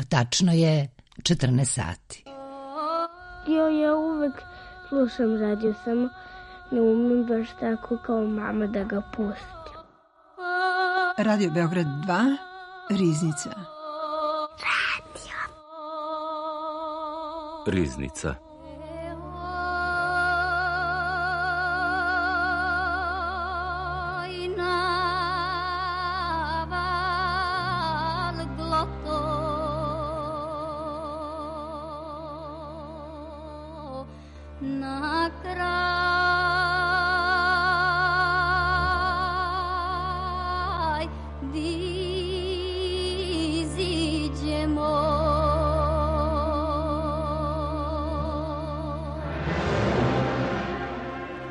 Tačno je 14 sati. Ja uvek slušam radio, samo ne umem baš tako kao mama da ga pustim. Radio Beograd 2, Riznica. Riznica.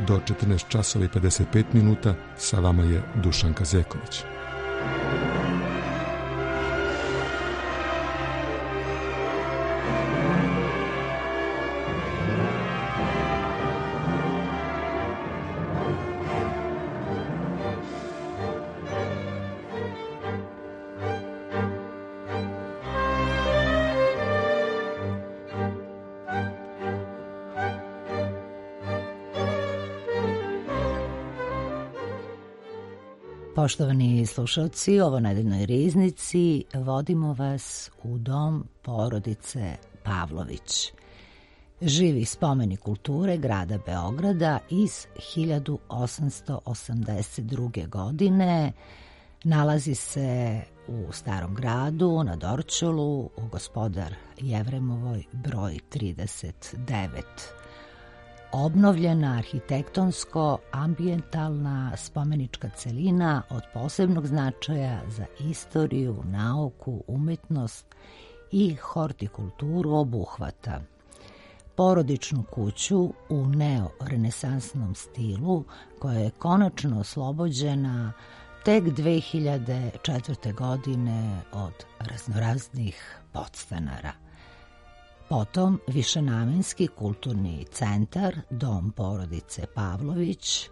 Do 14 časova i 55 minuta sa vama je Dušanka Zeković. Poštovani slušalci, ovo nedeljnoj Riznici vodimo vas u dom porodice Pavlović. Živi spomenik kulture grada Beograda iz 1882. godine. Nalazi se u Starom gradu, na Dorćolu, u Gospodar Jevremovoj broj 39. Obnovljena arhitektonsko-ambijentalna spomenička celina od posebnog značaja za istoriju, nauku, umetnost i hortikulturu obuhvata porodičnu kuću u neorenesansnom stilu koja je konačno oslobođena tek 2004. godine od raznoraznih podstanara. Potom višenamenski kulturni centar, dom porodice Pavlović,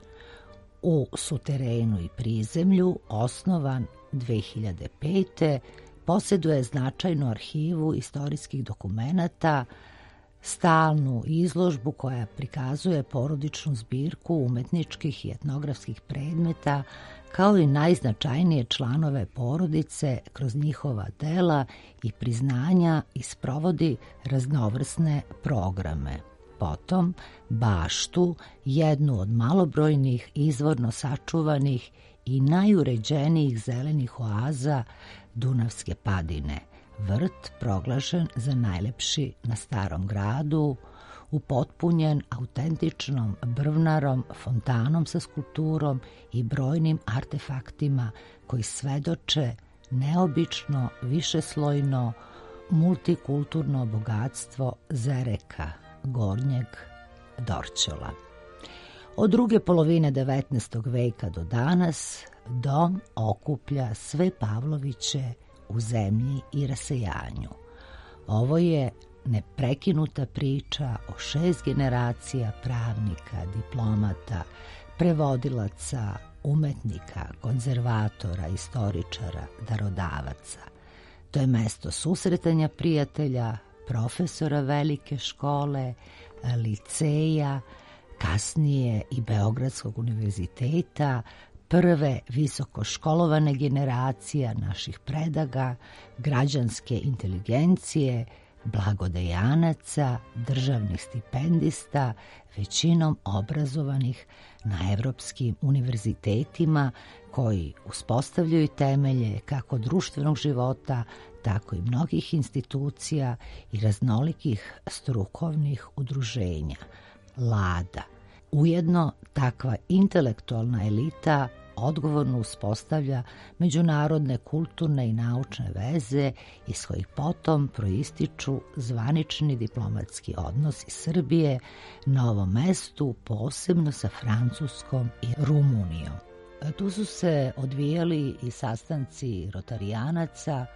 u suterenu i prizemlju, osnovan 2005. posjeduje značajnu arhivu istorijskih dokumenata, stalnu izložbu koja prikazuje porodičnu zbirku umetničkih i etnografskih predmeta, kao i najznačajnije članove porodice kroz njihova dela i priznanja i sprovodi raznovrsne programe. Potom baštu, jednu od malobrojnih izvorno sačuvanih i najuređenijih zelenih oaza Dunavske padine, vrt proglašen za najlepši na Starom gradu, upotpunjen autentičnom brvnarom, fontanom sa skulpturom i brojnim artefaktima koji svedoče neobično, višeslojno, multikulturno bogatstvo Zereka, Gornjeg Dorćola. Od druge polovine 19. veka do danas dom okuplja sve Pavloviće u zemlji i rasejanju. Ovo je neprekinuta priča o 6 generacija pravnika, diplomata, prevodilaca, umetnika, konzervatora, istoričara, darodavaca. To je mesto susretanja prijatelja, profesora velike škole, liceja, kasnije i Beogradskog univerziteta, prve visokoškolovane generacija naših predaga, građanske inteligencije, blagodejanaca, državnih stipendista, većinom obrazovanih na evropskim univerzitetima koji uspostavljaju temelje kako društvenog života, tako i mnogih institucija i raznolikih strukovnih udruženja. Lada. Ujedno, takva intelektualna elita odgovorno uspostavlja međunarodne kulturne i naučne veze iz kojih potom proističu zvanični diplomatski odnosi Srbije na ovom mestu, posebno sa Francuskom i Rumunijom. Tu su se odvijali i sastanci rotarijanaca,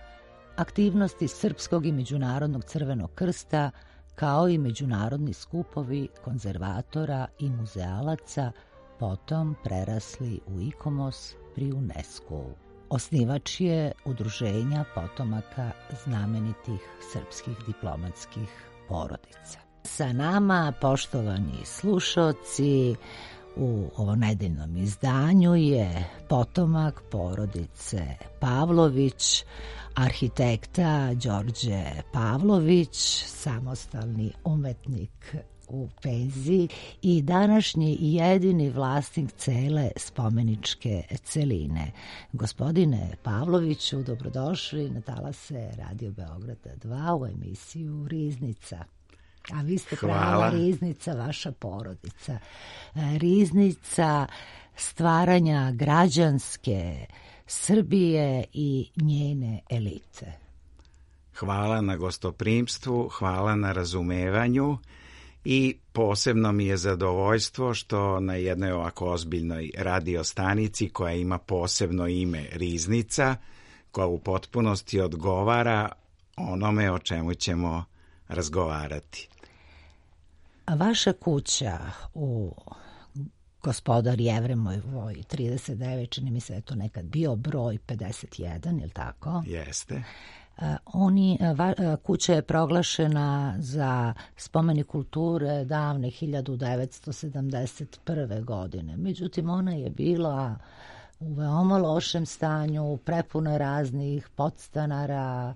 aktivnosti Srpskog i Međunarodnog Crvenog krsta, kao i međunarodni skupovi konzervatora i muzealaca, potom prerasli u ICOMOS pri UNESCO-u. Osnivač je udruženja potomaka znamenitih srpskih diplomatskih porodica. Sa nama, poštovani slušaoci, u ovom nedeljnom izdanju je potomak porodice Pavlović, arhitekta Đorđe Pavlović, samostalni umetnik u penziji i današnji jedini vlasnik cele spomeničke celine. Gospodine Pavloviću, dobrodošli na talase Radio Beograda 2 u emisiju Riznica. A vi ste prava riznica, vaša porodica. Riznica stvaranja građanske Srbije i njene elite. Hvala na gostoprimstvu, hvala na razumevanju i posebno mi je zadovoljstvo što na jednoj ovako ozbiljnoj radio stanici koja ima posebno ime Riznica, koja u potpunosti odgovara onome o čemu ćemo razgovarati. Vaša kuća u Gospodar Jevremovoj 39, čini mi se je to nekad bio broj 51, je li tako? Jeste. Kuća je proglašena za spomenik kulture davne 1971. godine. Međutim, ona je bila u veoma lošem stanju, prepuna raznih podstanara.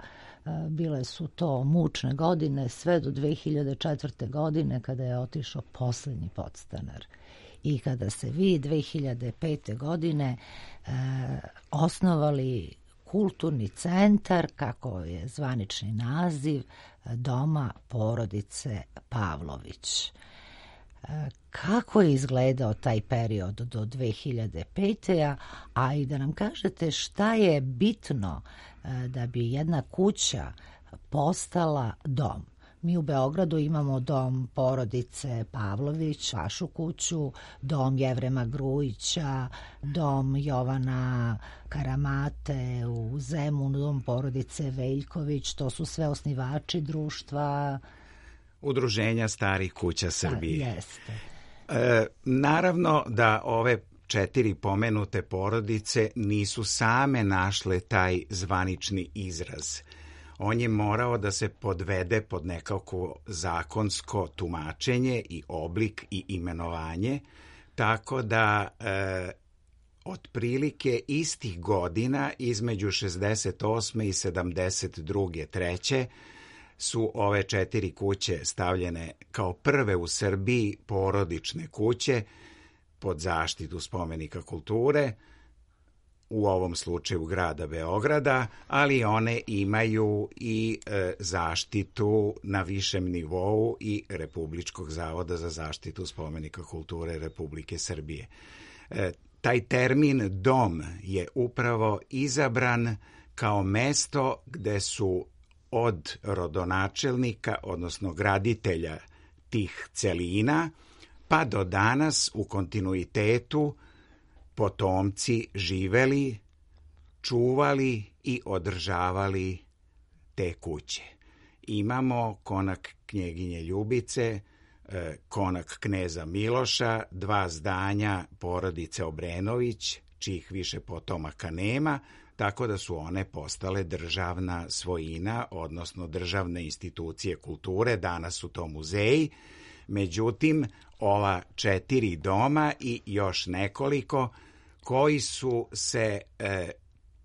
Bile su to mučne godine sve do 2004. godine kada je otišao poslednji podstanar. I kada se vi 2005. godine osnovali kulturni centar, kako je zvanični naziv, Doma porodice Pavlović. Kako je izgledao taj period do 2005. A i da nam kažete šta je bitno da bi jedna kuća postala dom. Mi u Beogradu imamo dom porodice Pavlović, vašu kuću, dom Jevrema Grujića, dom Jovana Karamate u Zemunu, dom porodice Veljković, to su sve osnivači društva Udruženja starih kuća Srbije. Jeste. Naravno da ove 4 pomenute porodice nisu same našle taj zvanični izraz. On je morao da se podvede pod nekako zakonsko tumačenje i oblik i imenovanje, tako da otprilike istih godina između 68. i 72. treće su ove 4 kuće stavljene kao prve u Srbiji porodične kuće pod zaštitu spomenika kulture, u ovom slučaju grada Beograda, ali one imaju i zaštitu na višem nivou i Republičkog zavoda za zaštitu spomenika kulture Republike Srbije. Taj termin dom je upravo izabran kao mesto gde su od rodonačelnika, odnosno graditelja tih celina, pa do danas u kontinuitetu potomci živeli, čuvali i održavali te kuće. Imamo konak knjeginje Ljubice, konak kneza Miloša, 2 zdanja porodice Obrenović, čijih više potomaka nema, tako da su one postale državna svojina, odnosno državne institucije kulture, danas su to muzeji. Međutim, ova 4 doma i još nekoliko koji su se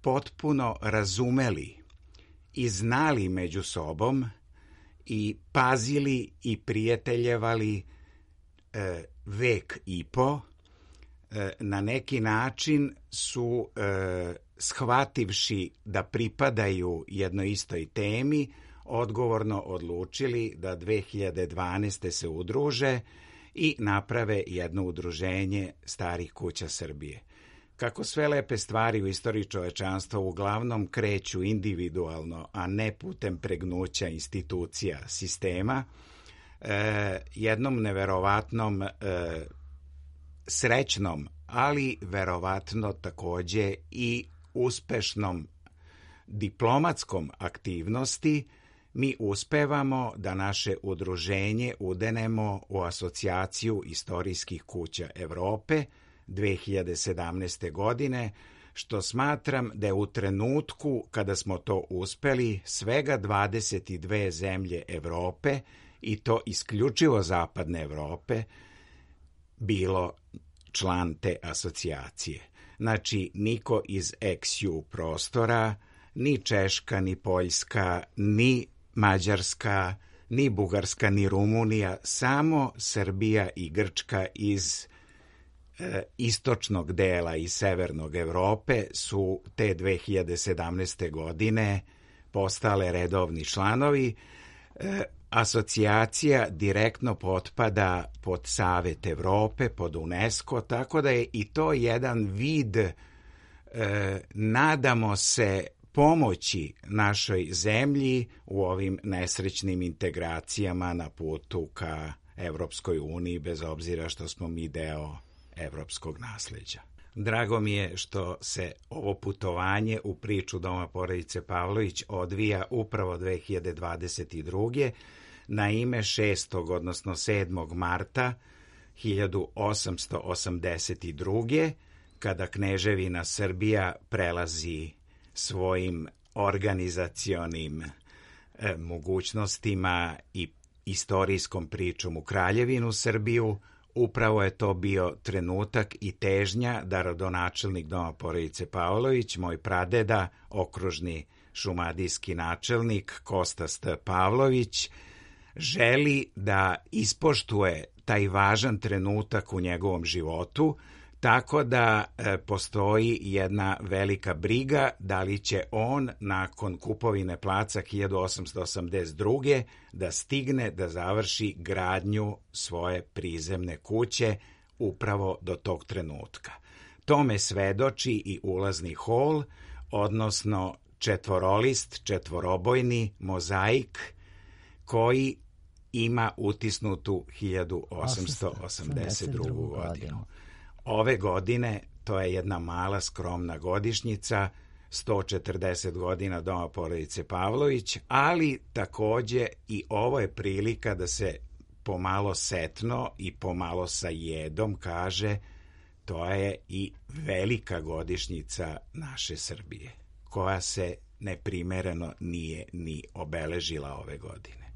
potpuno razumeli i znali među sobom i pazili i prijateljevali vek i po, na neki način su shvativši da pripadaju jednoj istoj temi, odgovorno odlučili da 2012. se udruže i naprave jedno udruženje starih kuća Srbije. Kako sve lepe stvari u istoriji čovečanstva uglavnom kreću individualno, a ne putem pregnuća institucija sistema, jednom neverovatnom srećnom, ali verovatno takođe i uspešnom diplomatskom aktivnosti mi uspevamo da naše udruženje udenemo u Asocijaciju istorijskih kuća Evrope 2017. godine, što smatram da je u trenutku kada smo to uspeli svega 22 zemlje Evrope, i to isključivo zapadne Evrope, bilo član te asocijacije. Znači, niko iz ex-ju prostora, ni Češka, ni Poljska, ni Mađarska, ni Bugarska, ni Rumunija, samo Srbija i Grčka iz istočnog dela i severnog Evrope su te 2017. godine postale redovni članovi. Asocijacija direktno potpada pod Savet Evrope, pod UNESCO, tako da je i to jedan vid, nadamo se, pomoći našoj zemlji u ovim nesrećnim integracijama na putu ka Evropskoj uniji, bez obzira što smo mi deo evropskog nasleđa. Drago mi je što se ovo putovanje u priču Doma porodice Pavlović odvija upravo 2022. na ime 6. odnosno 7. marta 1882. kada Kneževina Srbija prelazi svojim organizacionim mogućnostima i istorijskom pričom u Kraljevinu Srbiju. Upravo je to bio trenutak i težnja da rodonačelnik Doma porodice Pavlović, moj pradeda, okružni šumadijski načelnik Kostas T. Pavlović, želi da ispoštuje taj važan trenutak u njegovom životu, tako da postoji jedna velika briga da li će on nakon kupovine placa 1882. da stigne da završi gradnju svoje prizemne kuće upravo do tog trenutka. Tome svedoči i ulazni hol, odnosno četvorolist, četvorobojni mozaik koji ima utisnutu 1882. godinu. Ove godine, to je jedna mala skromna godišnjica, 140 godina Doma porodice Pavlović, ali takođe i ovo je prilika da se pomalo setno i pomalo sa jedom kaže, to je i velika godišnjica naše Srbije, koja se neprimereno nije ni obeležila ove godine.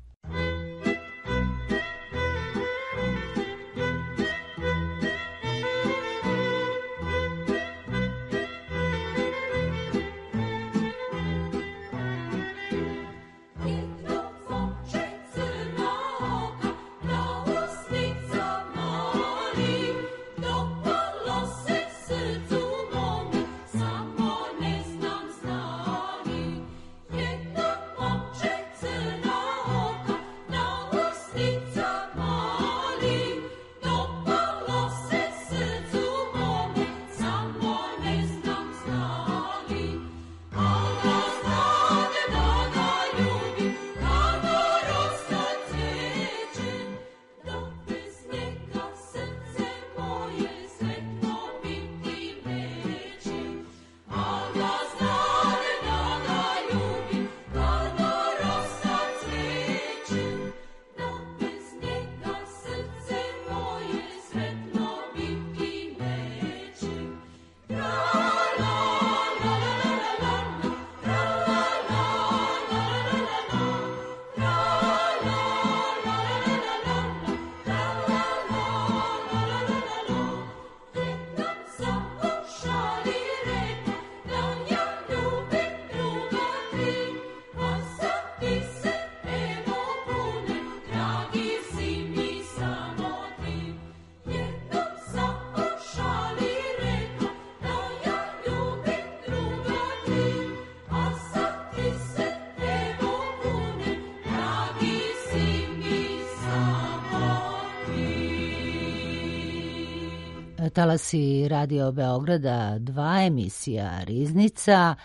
Talasi Radio Beograda 2, emisija Riznica,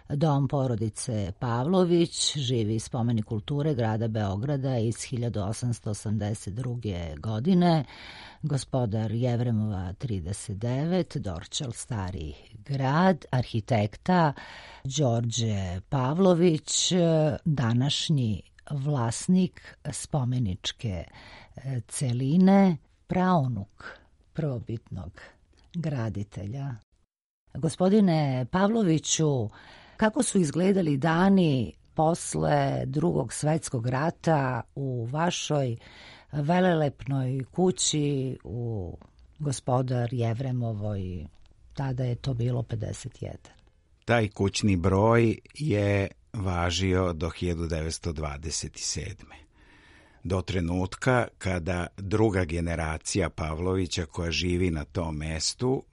Dom porodice Pavlović, živi spomenik kulture grada Beograda iz 1882. godine, Gospodar Jevremova 39, Dorćol Stari grad, arhitekta Đorđe Pavlović, današnji vlasnik spomeničke celine, praunuk prvobitnog graditelja. Gospodine Pavloviću, kako su izgledali dani posle Drugog svjetskog rata u vašoj velelepnoj kući u Gospodar Jevremovoj? Tada je to bilo 51. Taj kućni broj je važio do 1927. Do trenutka kada druga generacija Pavlovića koja živi na tom mestu,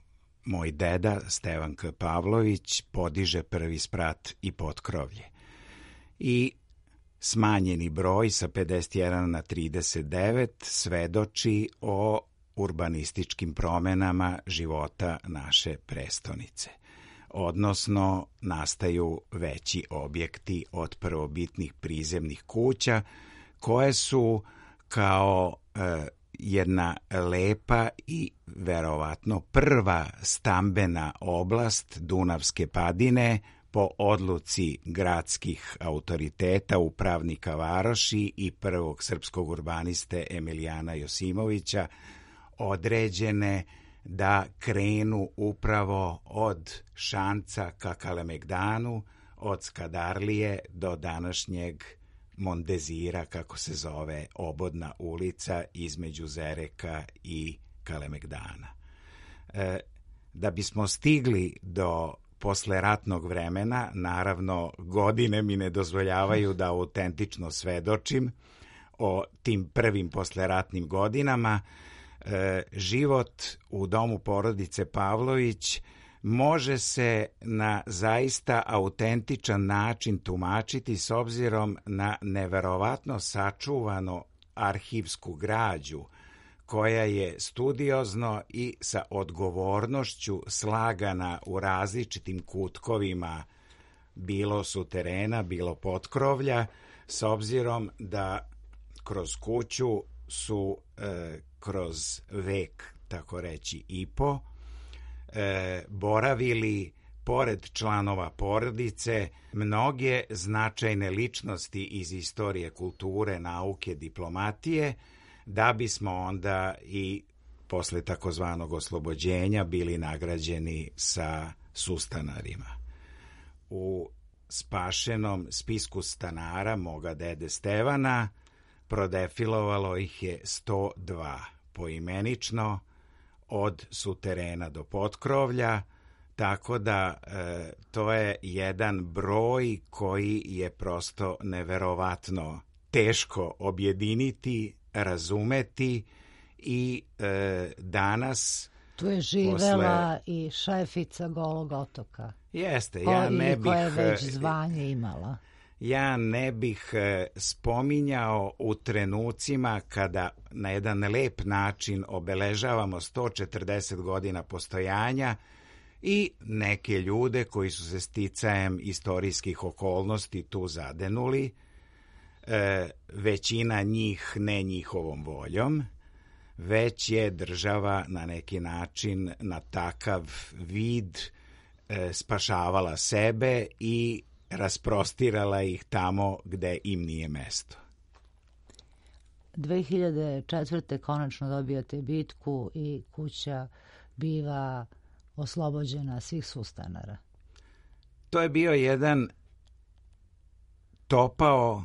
moj deda Stevan K. Pavlović, podiže prvi sprat i potkrovlje. I smanjeni broj sa 51 na 39 svedoči o urbanističkim promenama života naše prestonice. Odnosno, nastaju veći objekti od prvobitnih prizemnih kuća, koje su kao jedna lepa i verovatno prva stambena oblast Dunavske padine po odluci gradskih autoriteta, upravnika varoši i prvog srpskog urbaniste Emilijana Josimovića, određene da krenu upravo od Šanca ka Kalemegdanu, od Skadarlije do današnjeg Mondezira, kako se zove obodna ulica između Zereka i Kalemegdana. Da bismo stigli do posleratnog vremena, naravno godine mi ne dozvoljavaju da autentično svedočim o tim prvim posleratnim godinama, život u domu porodice Pavlović može se na zaista autentičan način tumačiti s obzirom na neverovatno sačuvano arhivsku građu koja je studiozno i sa odgovornošću slagana u različitim kutkovima, bilo suterena, bilo potkrovlja, s obzirom da kroz kuću su kroz vek, tako reći, i po, boravili, pored članova porodice, mnoge značajne ličnosti iz istorije, kulture, nauke, diplomatije, da bismo onda i posle takozvanog oslobođenja bili nagrađeni sa sustanarima. U spašenom spisku stanara moga dede Stevana prodefilovalo ih je 102 poimenično, od suterena do potkrovlja, tako da to je jedan broj koji je prosto neverovatno teško objediniti, razumeti i danas... Tu je živela i šefica Golog otoka. Jeste, ja ne bih... Koja je već zvanje imala. Ja ne bih spominjao u trenucima kada na jedan lep način obeležavamo 140 godina postojanja i neke ljude koji su se sticajem istorijskih okolnosti tu zadenuli, većina njih ne njihovom voljom, već je država na neki način na takav vid spašavala sebe i rasprostirala ih tamo gde im nije mesto. 2004. konačno dobijate bitku i kuća biva oslobođena svih sustanara. To je bio jedan topao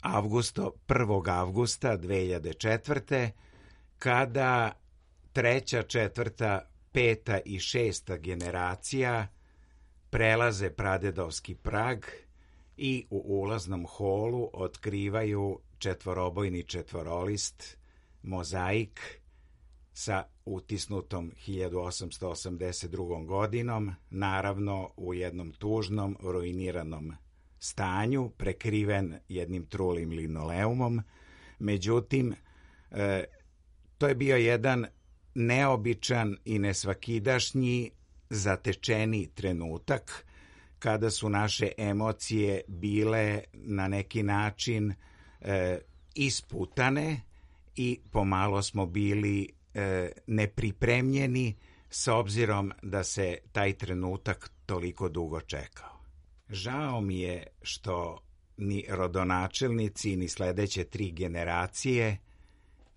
1. avgusta 2004. kada 3., 4., 5. i 6. generacija prelaze pradedovski prag i u ulaznom holu otkrivaju četvorobojni četvorolist, mozaik sa utisnutom 1882. godinom, naravno u jednom tužnom, ruiniranom stanju, prekriven jednim trulim linoleumom. Međutim, to je bio jedan neobičan i nesvakidašnji zatečeni trenutak kada su naše emocije bile na neki način isputane i pomalo smo bili nepripremljeni s obzirom da se taj trenutak toliko dugo čekao. Žao mi je što ni rodonačelnici ni sledeće 3 generacije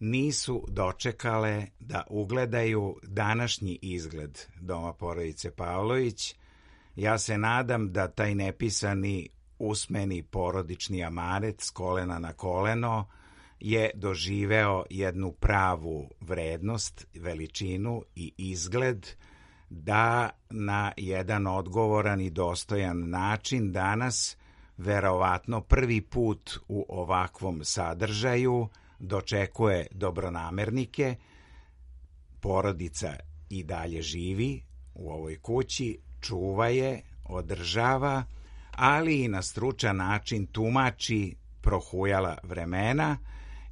nisu dočekale da ugledaju današnji izgled doma porodice Pavlović. Ja se nadam da taj nepisani usmeni porodični amanet s kolena na koleno je doživeo jednu pravu vrednost, veličinu i izgled, da na jedan odgovoran i dostojan način danas, verovatno prvi put u ovakvom sadržaju, dočekuje dobronamernike. Porodica i dalje živi u ovoj kući, čuva je, održava, ali i na stručan način tumači prohujala vremena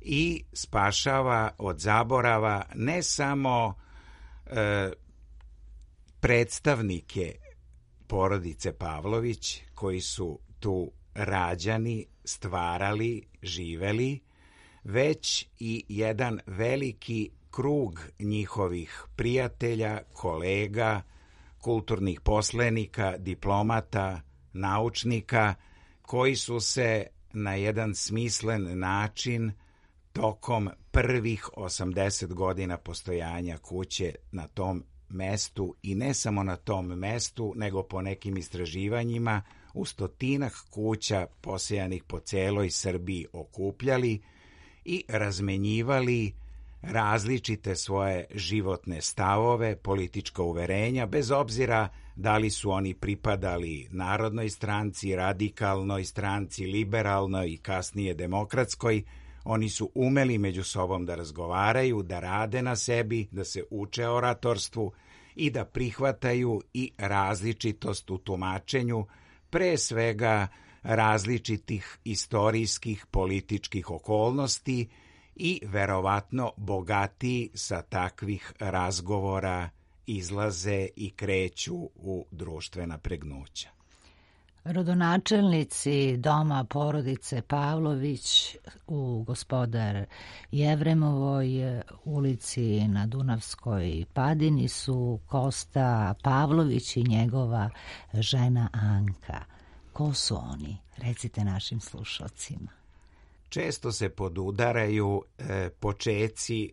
i spašava od zaborava ne samo predstavnike porodice Pavlović koji su tu rađani, stvarali, živeli, već i jedan veliki krug njihovih prijatelja, kolega, kulturnih poslenika, diplomata, naučnika, koji su se na jedan smislen način tokom prvih 80 godina postojanja kuće na tom mestu, i ne samo na tom mestu, nego po nekim istraživanjima u stotinak kuća posejanih po celoj Srbiji okupljali i razmenjivali različite svoje životne stavove, politička uverenja, bez obzira da li su oni pripadali Narodnoj stranci, Radikalnoj stranci, Liberalnoj i kasnije Demokratskoj. Oni su umeli među sobom da razgovaraju, da rade na sebi, da se uče oratorstvu i da prihvataju i različitost u tumačenju, pre svega različitih istorijskih, političkih okolnosti, i verovatno bogatiji sa takvih razgovora izlaze i kreću u društvena pregnuća. Rodonačelnici doma porodice Pavlović u Gospodar Jevremovoj ulici na Dunavskoj Padini su Kosta Pavlović i njegova žena Anka. Ko su oni? Recite našim slušalcima. Često se podudaraju počeci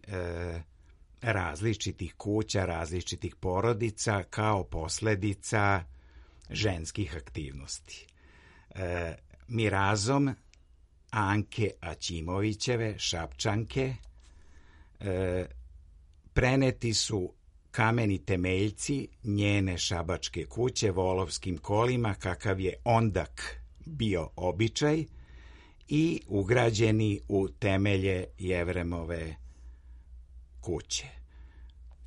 različitih kuća, različitih porodica kao posledica ženskih aktivnosti. Mirazom Anke Aćimovićeve, Šapčanke, preneti su kameni temeljci njene šabačke kuće volovskim kolima, kakav je ondak bio običaj, i ugrađeni u temelje Jevremove kuće.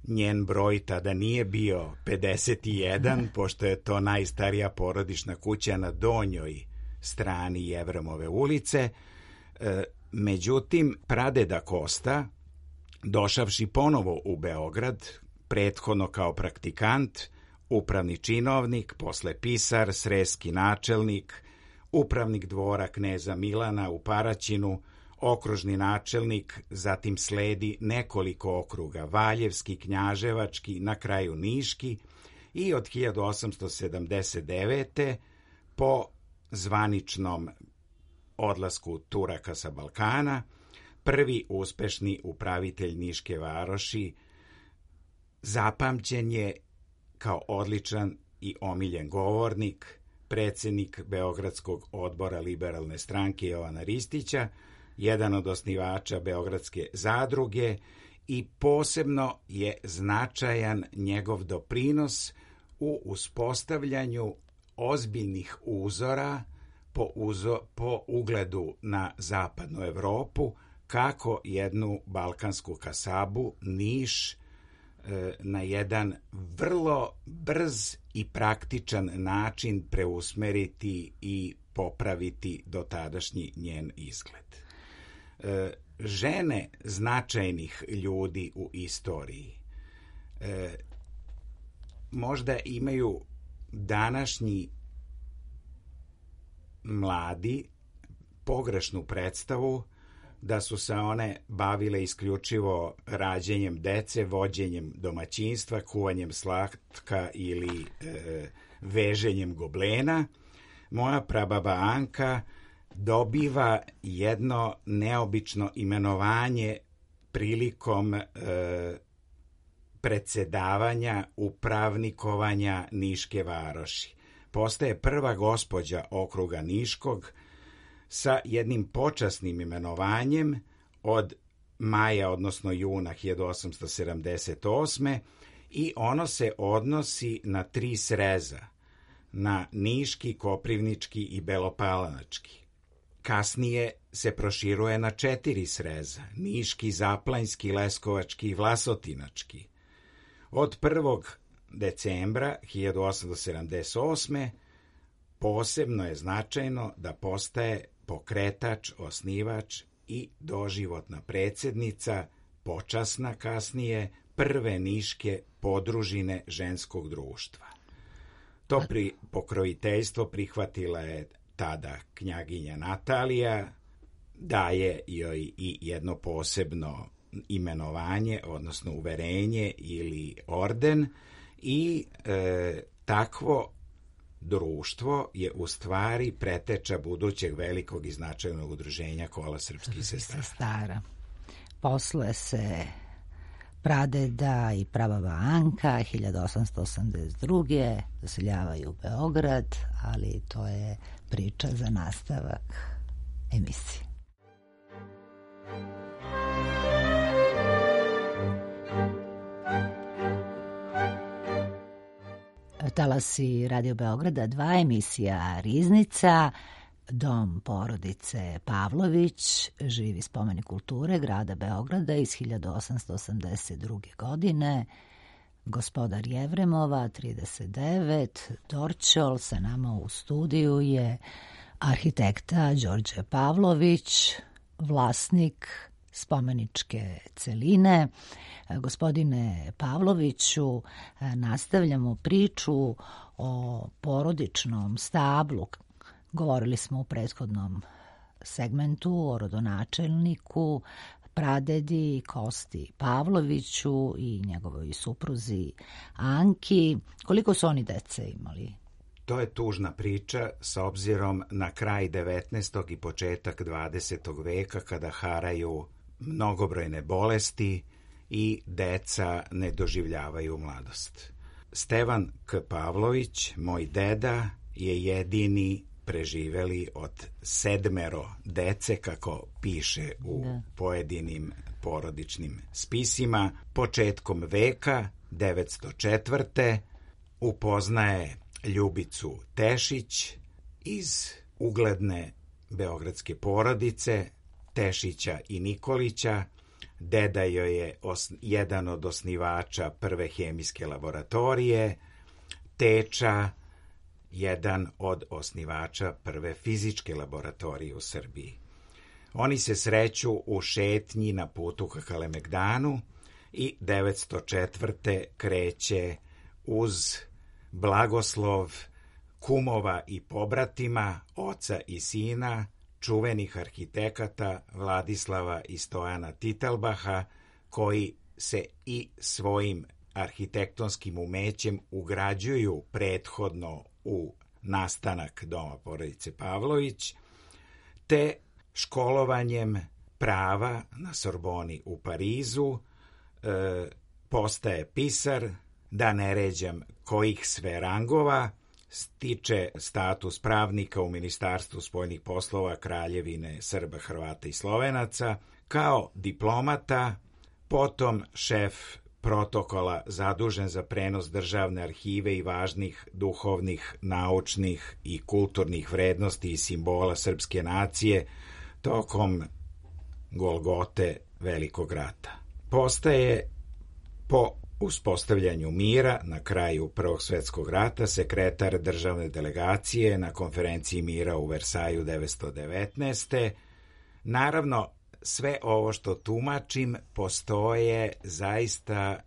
Njen broj tada nije bio 51, pošto je to najstarija porodična kuća na donjoj strani Jevremove ulice. Međutim, pradeda Kosta, došavši ponovo u Beograd, prethodno kao praktikant, upravni činovnik, posle pisar, sreski načelnik, upravnik dvora kneza Milana u Paraćinu, okružni načelnik, zatim sledi nekoliko okruga, Valjevski, Knjaževački, na kraju Niški, i od 1879. po zvaničnom odlasku Turaka sa Balkana, prvi uspešni upravitelj Niške varoši, zapamćen je kao odličan i omiljen govornik, predsednik Beogradskog odbora Liberalne stranke Jovana Ristića, jedan od osnivača Beogradske zadruge, i posebno je značajan njegov doprinos u uspostavljanju ozbiljnih uzora po ugledu na zapadnu Evropu, kako jednu balkansku kasabu, Niš, na jedan vrlo brz i praktičan način preusmeriti i popraviti dotadašnji njen izgled. Žene značajnih ljudi u istoriji možda imaju današnji mladi pogrešnu predstavu da su se one bavile isključivo rađenjem dece, vođenjem domaćinstva, kuvanjem slatka ili veženjem goblena. Moja prababa Anka dobiva jedno neobično imenovanje prilikom predsedavanja upravnikovanja Niške varoši. Postaje prva gospođa okruga Niškog sa jednim počasnim imenovanjem od maja, odnosno juna 1878. i ono se odnosi na 3 sreza, na Niški, Koprivnički i Belopalanački. Kasnije se proširuje na 4 sreza, Niški, Zaplanjski, Leskovački i Vlasotinački. Od 1. decembra 1878. posebno je značajno da postaje pokretač, osnivač i doživotna predsjednica, počasna kasnije, prve Niške podružine ženskog društva. To pokrojiteljstvo prihvatila je tada knjaginja Natalija, daje joj i jedno posebno imenovanje, odnosno uverenje ili orden, i takvo društvo je u stvari preteča budućeg velikog i značajnog udruženja Kola srpskih sestara. Posle se pradeda i prababa Anka 1882. doseljavaju u Beograd, ali to je priča za nastavak emisije. Talasi Radio Beograda 2, emisija Riznica, dom porodice Pavlović, živi spomenik kulture grada Beograda iz 1882. godine. Gospodar Jevremova, 39, Dorćol, sa nama u studiju je arhitekta Đorđe Pavlović, vlasnik spomeničke celine. Gospodine Pavloviću, nastavljamo priču o porodičnom stablu. Govorili smo u prethodnom segmentu o rodonačelniku, pradedi Kosti Pavloviću i njegovoj supruzi Anki. Koliko su oni dece imali? To je tužna priča s obzirom na kraj 19. i početak 20. veka, kada haraju mnogobrojne bolesti i deca ne doživljavaju mladost. Stevan K. Pavlović, moj deda, je jedini preživeli od 7 dece, kako piše u pojedinim porodičnim spisima. Početkom veka 904. upoznaje Ljubicu Tešić iz ugledne beogradske porodice Tešića i Nikolića. Deda joj je jedan od osnivača prve hemijske laboratorije, teča jedan od osnivača prve fizičke laboratorije u Srbiji. Oni se sreću u šetnji na putu ka Kalemegdanu i 904. kreće uz blagoslov kumova i pobratima, oca i sina, čuvenih arhitekata Vladislava i Stojana Titelbaha, koji se i svojim arhitektonskim umećem ugrađuju prethodno u nastanak doma porodice Pavlović, te školovanjem prava na Sorboni u Parizu postaje pisar, da ne ređam kojih sve rangova, stiče status pravnika u Ministarstvu spoljnih poslova Kraljevine Srba, Hrvata i Slovenaca, kao diplomata, potom šef protokola zadužen za prenos državne arhive i važnih duhovnih, naučnih i kulturnih vrednosti i simbola srpske nacije tokom Golgote Velikog rata. Postaje po uspostavljanju mira na kraju Prvog svjetskog rata sekretar državne delegacije na konferenciji mira u Versaju 1919. Naravno, sve ovo što tumačim, postoje zaista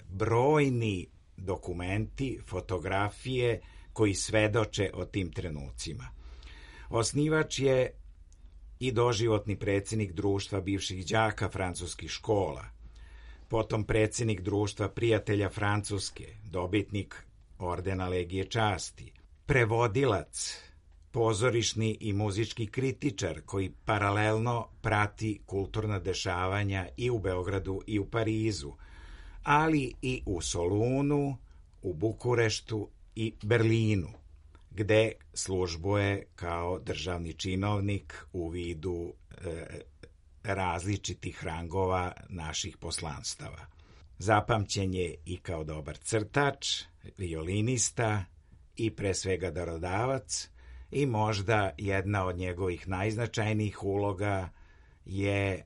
brojni dokumenti, fotografije koji svedoče o tim trenucima. Osnivač je i doživotni predsjednik društva bivših đaka francuskih škola, potom predsjednik društva prijatelja Francuske, dobitnik ordena Legije časti, prevodilac pozorišni i muzički kritičar koji paralelno prati kulturna dešavanja i u Beogradu i u Parizu, ali i u Solunu, u Bukureštu i Berlinu, gde službuje kao državni činovnik u vidu različitih rangova naših poslanstava. Zapamćen je i kao dobar crtač, violinista i pre svega darodavac, i možda jedna od njegovih najznačajnijih uloga je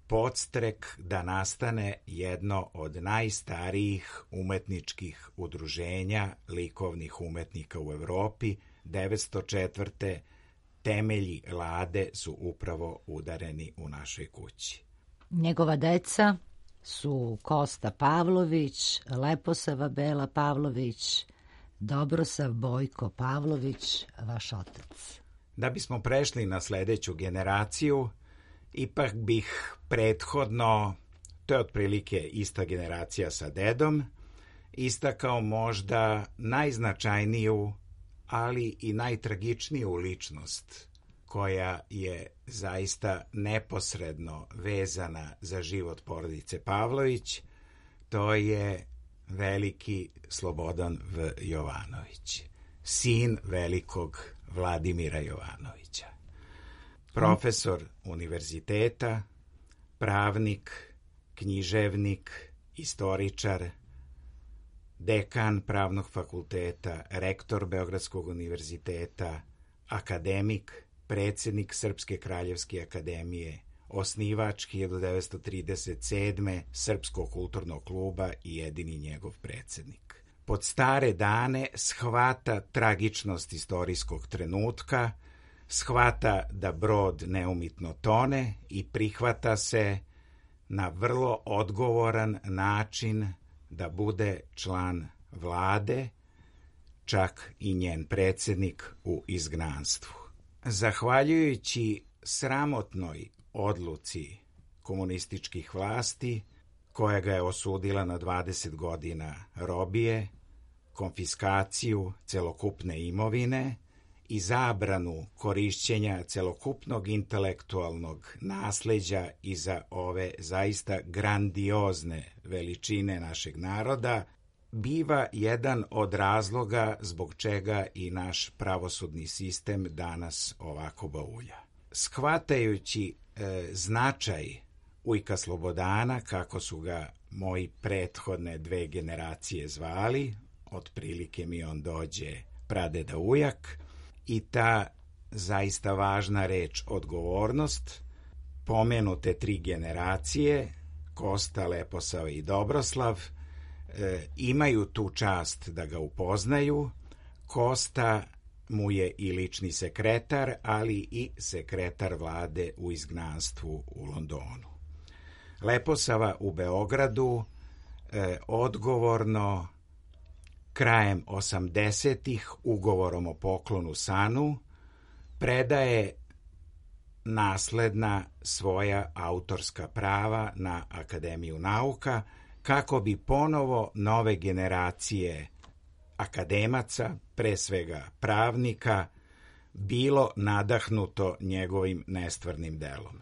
podstrek da nastane jedno od najstarijih umetničkih udruženja likovnih umetnika u Evropi. 1904. temelji Lade su upravo udareni u našoj kući. Njegova deca su Kosta Pavlović, Leposava Bela Pavlović, Dobrosav Bojko Pavlović, vaš otac. Da bismo prešli na sledeću generaciju, ipak bih prethodno, to je otprilike ista generacija sa dedom, istakao možda najznačajniju, ali i najtragičniju ličnost koja je zaista neposredno vezana za život porodice Pavlović. To je veliki Slobodan V. Jovanović, sin velikog Vladimira Jovanovića. Profesor univerziteta, pravnik, književnik, istoričar, dekan Pravnog fakulteta, rektor Beogradskog univerziteta, akademik, predsjednik Srpske kraljevske akademije, osnivač 1937. Srpskog kulturnog kluba i jedini njegov predsjednik. Pod stare dane shvata tragičnost istorijskog trenutka, shvata da brod neumitno tone i prihvata se na vrlo odgovoran način da bude član vlade, čak i njen predsjednik u izgnanstvu. Zahvaljujući sramotnoj odluci komunističkih vlasti, koja ga je osudila na 20 godina robije, konfiskaciju celokupne imovine i zabranu korišćenja celokupnog intelektualnog nasleđa iza ove zaista grandiozne veličine našeg naroda, biva jedan od razloga zbog čega i naš pravosudni sistem danas ovako baulja. Shvatajući značaj ujka Slobodana, kako su ga moji prethodne dve generacije zvali, otprilike mi on dođe pradeda ujak, i ta zaista važna reč odgovornost, pomenute tri generacije, Kosta, Leposava i Dobroslav, imaju tu čast da ga upoznaju. Kosta mu je i lični sekretar, ali i sekretar vlade u izgnanstvu u Londonu. Leposava u Beogradu odgovorno krajem 80-ih ugovorom o poklonu sanu predaje nasledna svoja autorska prava na Akademiju nauka, kako bi ponovo nove generacije akademaca, pre svega pravnika, bilo nadahnuto njegovim nestvarnim delom.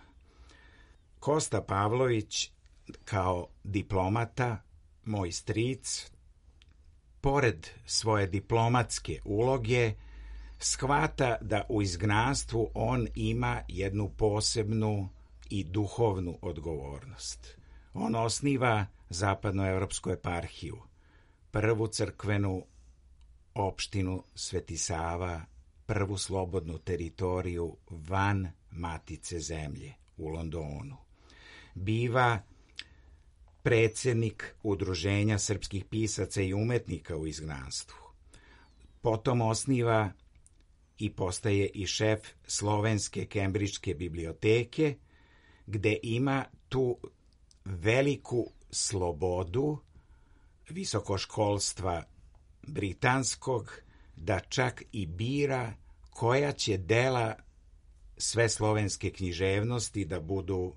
Kosta Pavlović kao diplomata, moj stric, pored svoje diplomatske uloge, shvata da u izgnanstvu on ima jednu posebnu i duhovnu odgovornost. On osniva Zapadnoevropsku eparhiju, prvu crkvenu opštinu Sveti Sava, prvu slobodnu teritoriju van Matice zemlje u Londonu. Biva predsjednik Udruženja srpskih pisaca i umetnika u izgnanstvu. Potom osniva i postaje i šef Slovenske Kembridžke biblioteke, gde ima tu veliku slobodu visokoškolstva britanskog da čak i bira koja će dela sve slovenske književnosti da budu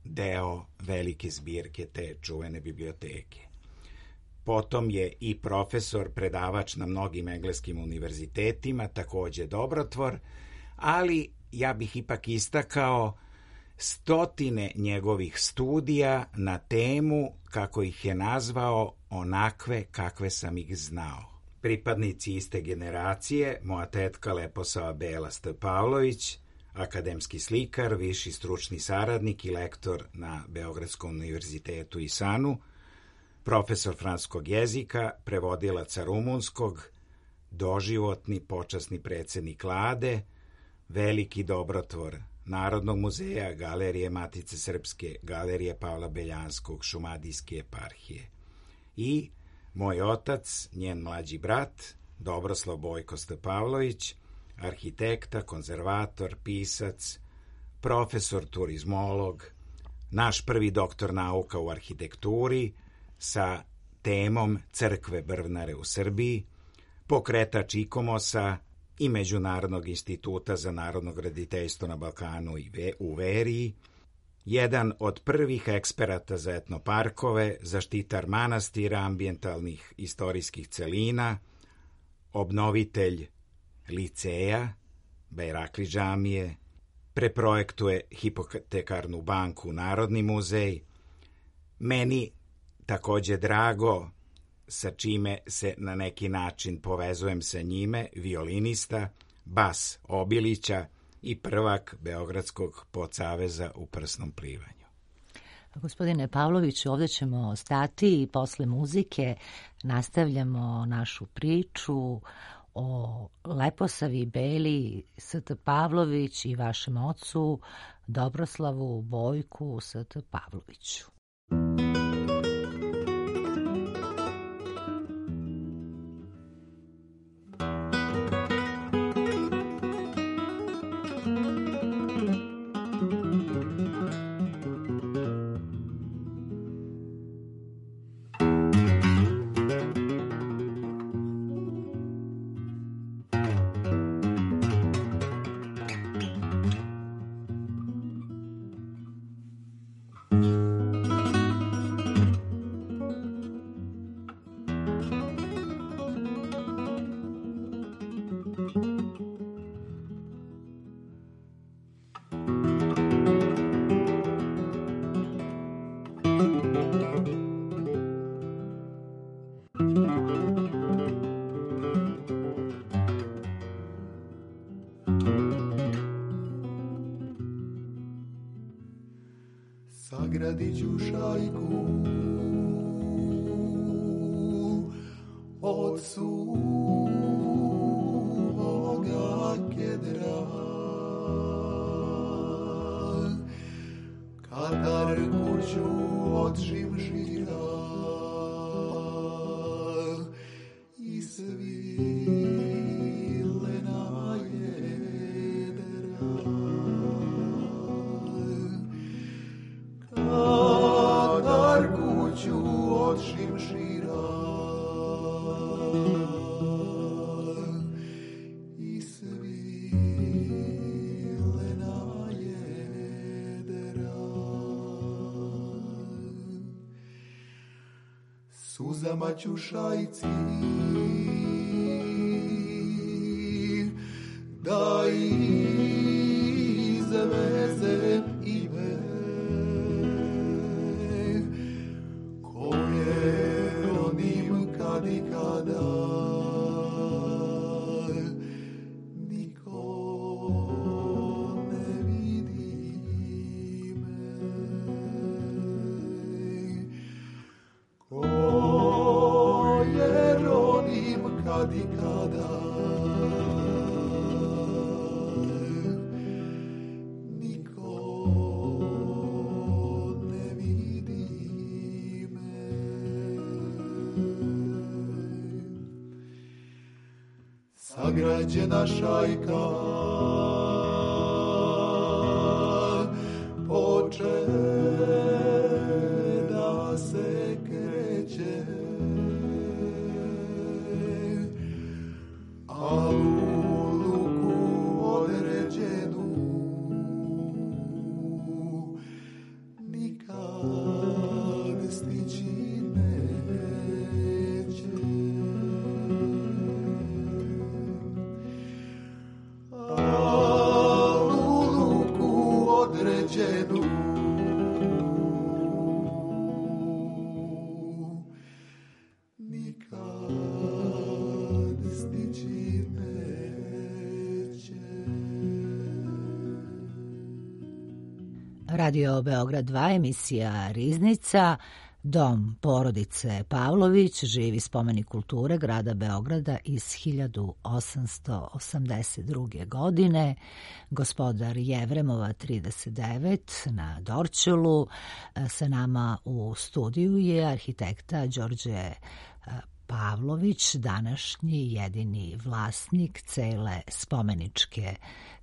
deo velike zbirke te čuvene biblioteke. Potom je i profesor, predavač na mnogim engleskim univerzitetima, takođe dobrotvor, ali ja bih ipak istakao stotine njegovih studija na temu, kako ih je nazvao, onakve kakve sam ih znao. Pripadnici iste generacije, moja tetka Leposava Bela Pavlović, akademski slikar, viši stručni saradnik i lektor na Beogradskom univerzitetu i SANU, profesor francuskog jezika, prevodilaca rumunskog, doživotni počasni predsjednik Vlade, veliki dobrotvor Narodnog muzeja, Galerije Matice Srpske, Galerije Pavla Beljanskog, Šumadijske eparhije. I moj otac, njen mlađi brat, Dobroslav Bojko Pavlović, arhitekta, konzervator, pisac, profesor turizmolog, naš prvi doktor nauka u arhitekturi sa temom Crkve Brvnare u Srbiji, pokretač IKOMOS-a i Međunarodnog instituta za narodno graditeljstvo na Balkanu i u Veriji, jedan od prvih eksperata za etnoparkove, zaštitar manastira, ambijentalnih istorijskih celina, obnovitelj liceja, Bajrakli džamije, preprojektuje hipotekarnu banku Narodni muzej. Meni takođe drago, sa čime se na neki način povezujem sa njime, violinista Bas Obilića i prvak Beogradskog podsaveza u prsnom plivanju. Gospodine Pavloviću, ovdje ćemo stati i posle muzike nastavljamo našu priču o Leposavi Beli St. Pavlović i vašem ocu Dobroslavu Bojku St. Pavloviću. Sagradit ću šajku od suvoga kedra, katarku ću od živžira i svilena jedra. Katarku ću od živžira i svilena jedra. Suzama ću šajci da izvezem ime koje ronim kad i kada niko ne vidi me, koje ronim kad i kada sagrađena šajka poče da se kreće, a u luku određenu nikad stići neće. Radio Beograd 2, emisija Riznica. Dom porodice Pavlović, živi spomenik kulture grada Beograda iz 1882. godine. Gospodar Jevremova 39 na Dorćolu. Sa nama u studiju je arhitekta Đorđe Pavlović, današnji jedini vlasnik cele spomeničke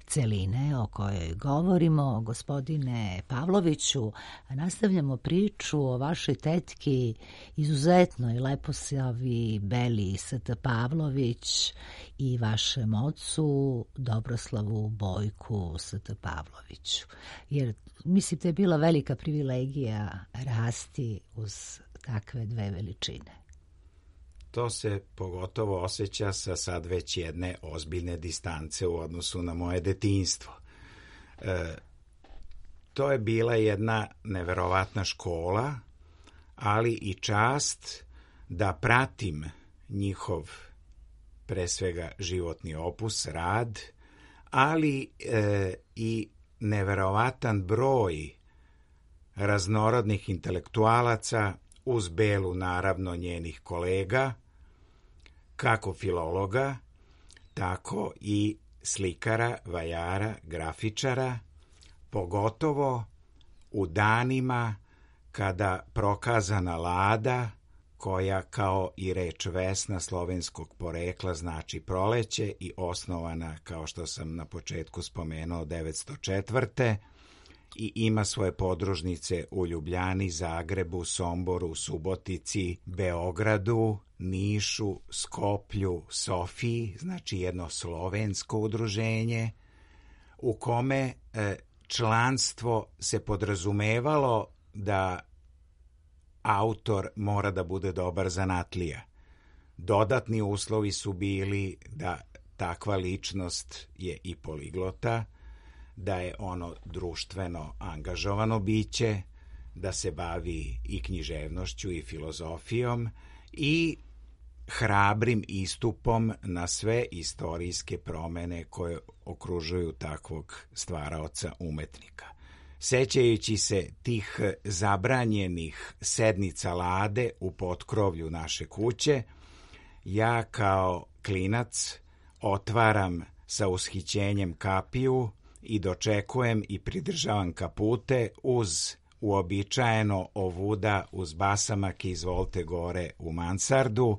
celine o kojoj govorimo. Gospodine Pavloviću, nastavljamo priču o vašoj tetki, izuzetnoj leposavi Beli St. Pavlović i vašem ocu Dobroslavu Bojku St. Pavloviću. Jer mislim da je bila velika privilegija rasti uz takve dve veličine. To se pogotovo osjeća sa sad već jedne ozbiljne distance u odnosu na moje detinjstvo. To je bila jedna neverovatna škola, ali i čast da pratim njihov, pre svega, životni opus, rad, ali i neverovatan broj raznorodnih intelektualaca, uz Belu naravno njenih kolega, kako filologa, tako i slikara, vajara, grafičara, pogotovo u danima kada prokazana Lada, koja kao i reč Vesna slovenskog porekla znači proleće i osnovana, kao što sam na početku spomenuo, 904. i ima svoje podružnice u Ljubljani, Zagrebu, Somboru, Subotici, Beogradu, Nišu, Skoplju, Sofiji, znači jedno slovensko udruženje u kome članstvo se podrazumevalo da autor mora da bude dobar zanatlija. Dodatni uslovi su bili da takva ličnost je i poliglota, da je ono društveno angažovano biće, da se bavi i književnošću i filozofijom i hrabrim istupom na sve istorijske promene koje okružuju takvog stvaraoca umetnika. Sećajući se tih zabranjenih sednica Lade u potkrovlju naše kuće, ja kao klinac otvaram sa ushićenjem kapiju i dočekujem i pridržavam kapute uz uobičajeno ovuda uz basamak izvolte gore u mansardu,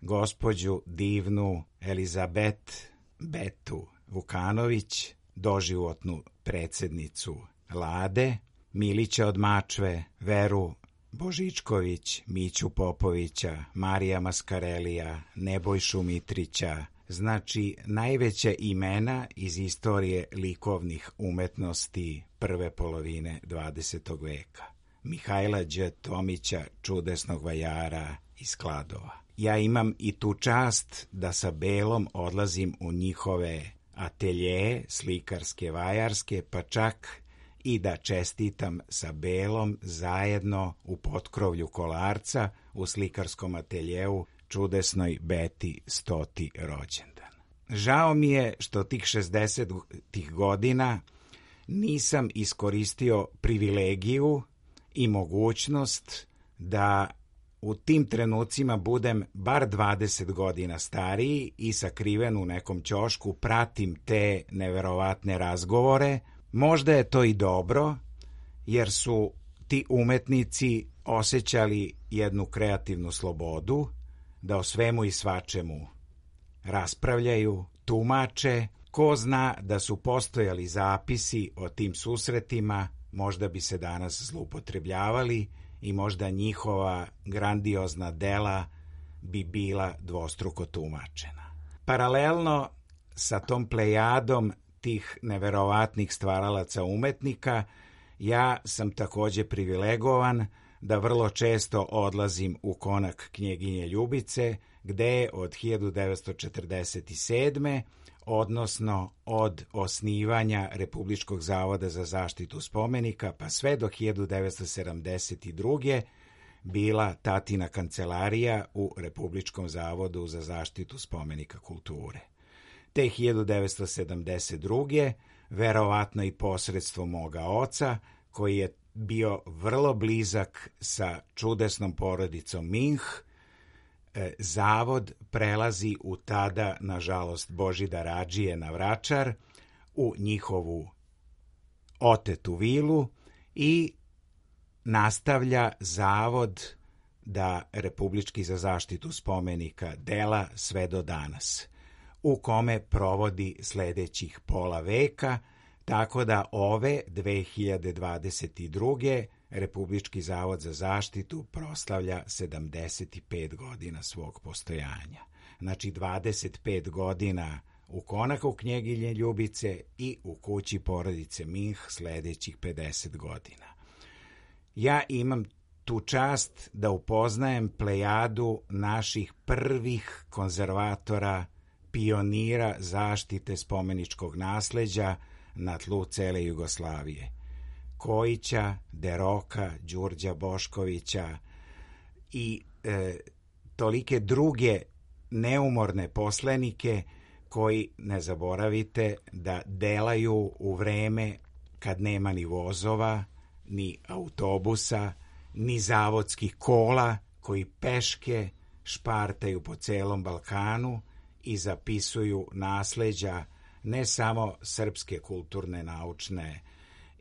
gospođu divnu Elizabet Betu Vukanović, doživotnu predsednicu Lade, Milića od Mačve, Veru Božičković, Miću Popovića, Marija Maskarelija, Nebojšu Mitrića, znači najveća imena iz istorije likovnih umetnosti prve polovine 20. veka. Mihajla Đ. Tomića, čudesnog vajara iz Kladova. Ja imam i tu čast da sa Belom odlazim u njihove ateljeje, slikarske, vajarske, pa čak i da čestitam sa Belom zajedno u potkrovlju Kolarca u slikarskom ateljeu čudesnoj Beti 100. rođendan. Žao mi je što tih 60. godina nisam iskoristio privilegiju i mogućnost da u tim trenucima budem bar 20 godina stariji i sakriven u nekom ćošku pratim te neverovatne razgovore. Možda je to i dobro, jer su ti umetnici osjećali jednu kreativnu slobodu, da o svemu i svačemu raspravljaju, tumače. Ko zna da su postojali zapisi o tim susretima, možda bi se danas zloupotrebljavali i možda njihova grandiozna dela bi bila dvostruko tumačena. Paralelno sa tom plejadom tih neverovatnih stvaralaca umetnika, ja sam takođe privilegovan da vrlo često odlazim u konak Knjeginje Ljubice, gde je od 1947. odnosno od osnivanja Republičkog zavoda za zaštitu spomenika pa sve do 1972. bila tatina kancelarija u Republičkom zavodu za zaštitu spomenika kulture. Te 1972. verovatno i posredstvom moga oca, koji je bio vrlo blizak sa čudesnom porodicom Minh, zavod prelazi u tada, nažalost, Božidar Adžije na Vračar, u njihovu otetu vilu i nastavlja zavod da Republički za zaštitu spomenika dela sve do danas, u kome provodi sledećih pola veka, tako da ove 2022. Republički zavod za zaštitu proslavlja 75 godina svog postojanja. Znači 25 godina u konaku Knjeginje Ljubice i u kući porodice Minh sledećih 50 godina. Ja imam tu čast da upoznajem plejadu naših prvih konzervatora, pionira zaštite spomeničkog nasleđa na tlu cele Jugoslavije. Kojića, Deroka, Đurđa Boškovića i tolike druge neumorne poslenike koji, ne zaboravite, da delaju u vreme kad nema ni vozova, ni autobusa, ni zavodskih kola, koji peške špartaju po celom Balkanu i zapisuju nasleđa ne samo srpske kulturne, naučne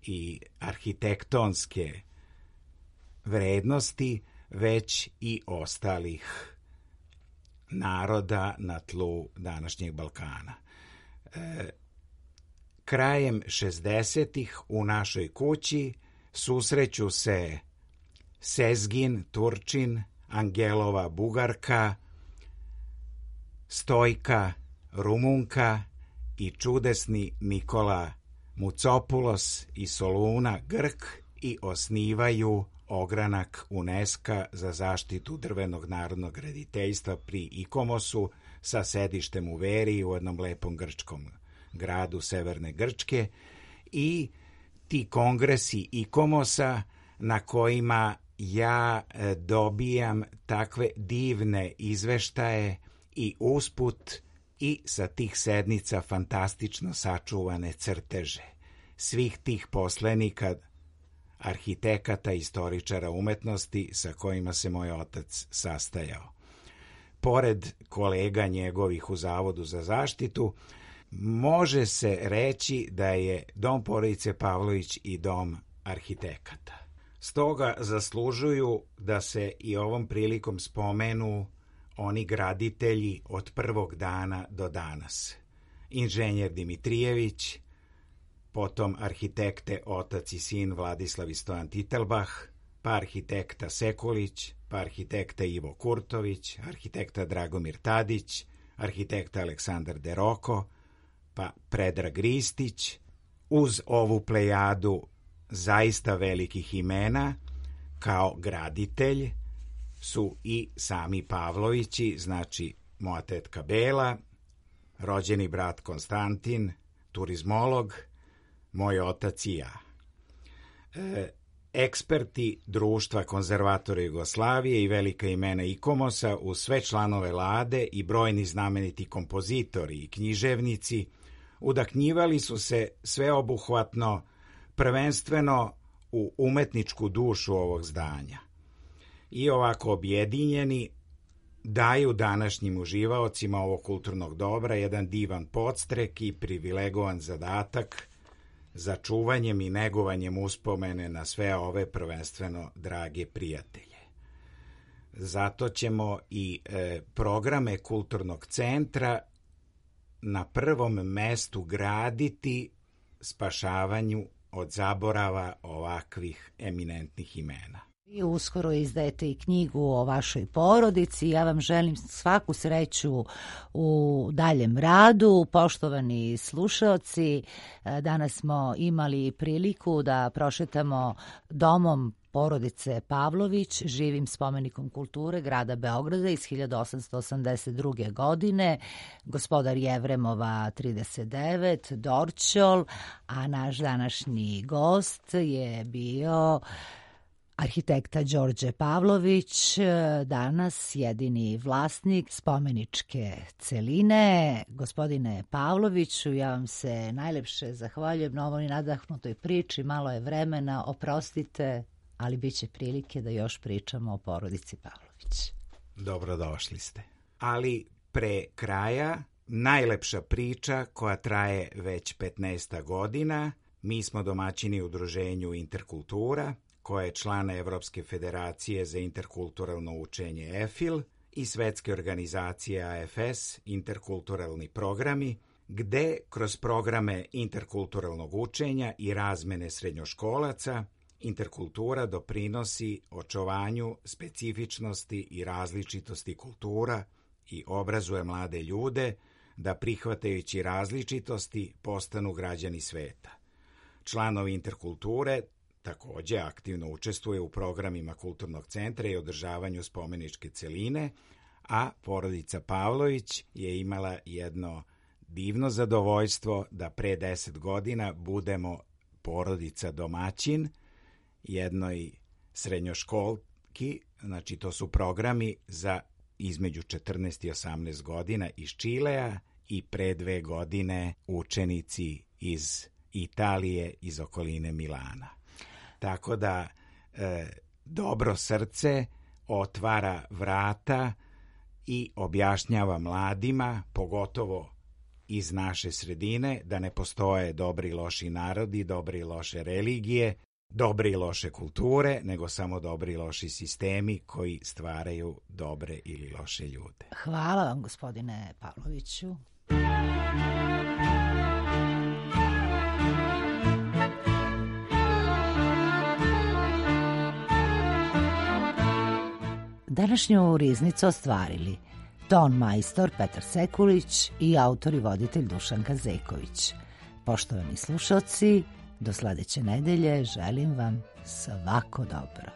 i arhitektonske vrednosti, već i ostalih naroda na tlu današnjeg Balkana. Krajem 60-ih u našoj kući susreću se Sezgin, Turčin, Angelova, Bugarka, Stojka, Rumunka i čudesni Nikola Mucopulos i Soluna, Grk, i osnivaju ogranak UNESCO za zaštitu drvenog narodnog graditeljstva pri Ikomosu sa sedištem u Veri, u jednom lepom grčkom gradu severne Grčke, i ti kongresi Ikomosa na kojima ja dobijam takve divne izveštaje i usput i sa tih sednica fantastično sačuvane crteže svih tih poslenika, arhitekata, istoričara umetnosti sa kojima se moj otac sastajao. Pored kolega njegovih u Zavodu za zaštitu, može se reći da je dom porodice Pavlović i dom arhitekata. Stoga zaslužuju da se i ovom prilikom spomenu oni graditelji od prvog dana do danas. Inženjer Dimitrijević, potom arhitekte otac i sin Vladislav i Stojan Titelbah, pa arhitekta Sekulić, pa arhitekta Ivo Kurtović, arhitekta Dragomir Tadić, arhitekta Aleksandar Deroko, pa Predrag Ristić. Uz ovu plejadu zaista velikih imena kao graditelj su i sami Pavlovići, znači moja tetka Bela, rođeni brat Konstantin, turizmolog, moj otac i ja. Eksperti Društva konzervatora Jugoslavije i velika imena Ikomosa, uz sve članove Lade i brojni znameniti kompozitori i književnici, udahnjivali su se sveobuhvatno, prvenstveno u umetničku dušu ovog zdanja. I ovako objedinjeni daju današnjim uživaocima ovog kulturnog dobra jedan divan podstrek i privilegovan zadatak za čuvanjem i negovanjem uspomene na sve ove prvenstveno drage prijatelje. Zato ćemo i programe Kulturnog centra na prvom mestu graditi spašavanju od zaborava ovakvih eminentnih imena. Vi uskoro izdajete i knjigu o vašoj porodici. Ja vam želim svaku sreću u daljem radu. Poštovani slušaoci, danas smo imali priliku da prošetamo domom porodice Pavlović, živim spomenikom kulture grada Beograda iz 1882. godine, gospodar Jevremova 39, Dorćol, a naš današnji gost je bio Arhitekta Đorđe Pavlović, danas jedini vlasnik spomeničke celine. Gospodine Pavloviću, ja vam se najlepše zahvaljujem na ovoj nadahnutoj priči. Malo je vremena, oprostite, ali bit će prilike da još pričamo o porodici Pavlović. Dobrodošli ste. Ali pre kraja, najlepša priča koja traje već 15 godina. Mi smo domaćini udruženju Interkultura, koja je član Evropske federacije za interkulturalno učenje EFIL i svetske organizacije AFS, interkulturalni programi, gde kroz programe interkulturalnog učenja i razmene srednjoškolaca interkultura doprinosi očuvanju specifičnosti i različitosti kultura i obrazuje mlade ljude da prihvatajući različitosti postanu građani sveta. Članovi interkulture takođe aktivno učestvuje u programima Kulturnog centra i održavanju spomeničke celine, a porodica Pavlović je imala jedno divno zadovoljstvo da pre 10 godina budemo porodica domaćin jednoj srednjoškolki, znači to su programi za između 14 i 18 godina iz Čilea i pre 2 godine učenici iz Italije, iz okoline Milana. Tako da dobro srce otvara vrata i objašnjava mladima, pogotovo iz naše sredine, da ne postoje dobri i loši narodi, dobre i loše religije, dobre i loše kulture, nego samo dobri i loši sistemi koji stvaraju dobre ili loše ljude. Hvala vam, gospodine Pavloviću. Današnju riznicu ostvarili ton majstor Petar Sekulić i autor i voditelj Dušanka Zeković. Poštovani slušalci, do sledeće nedelje želim vam svako dobro.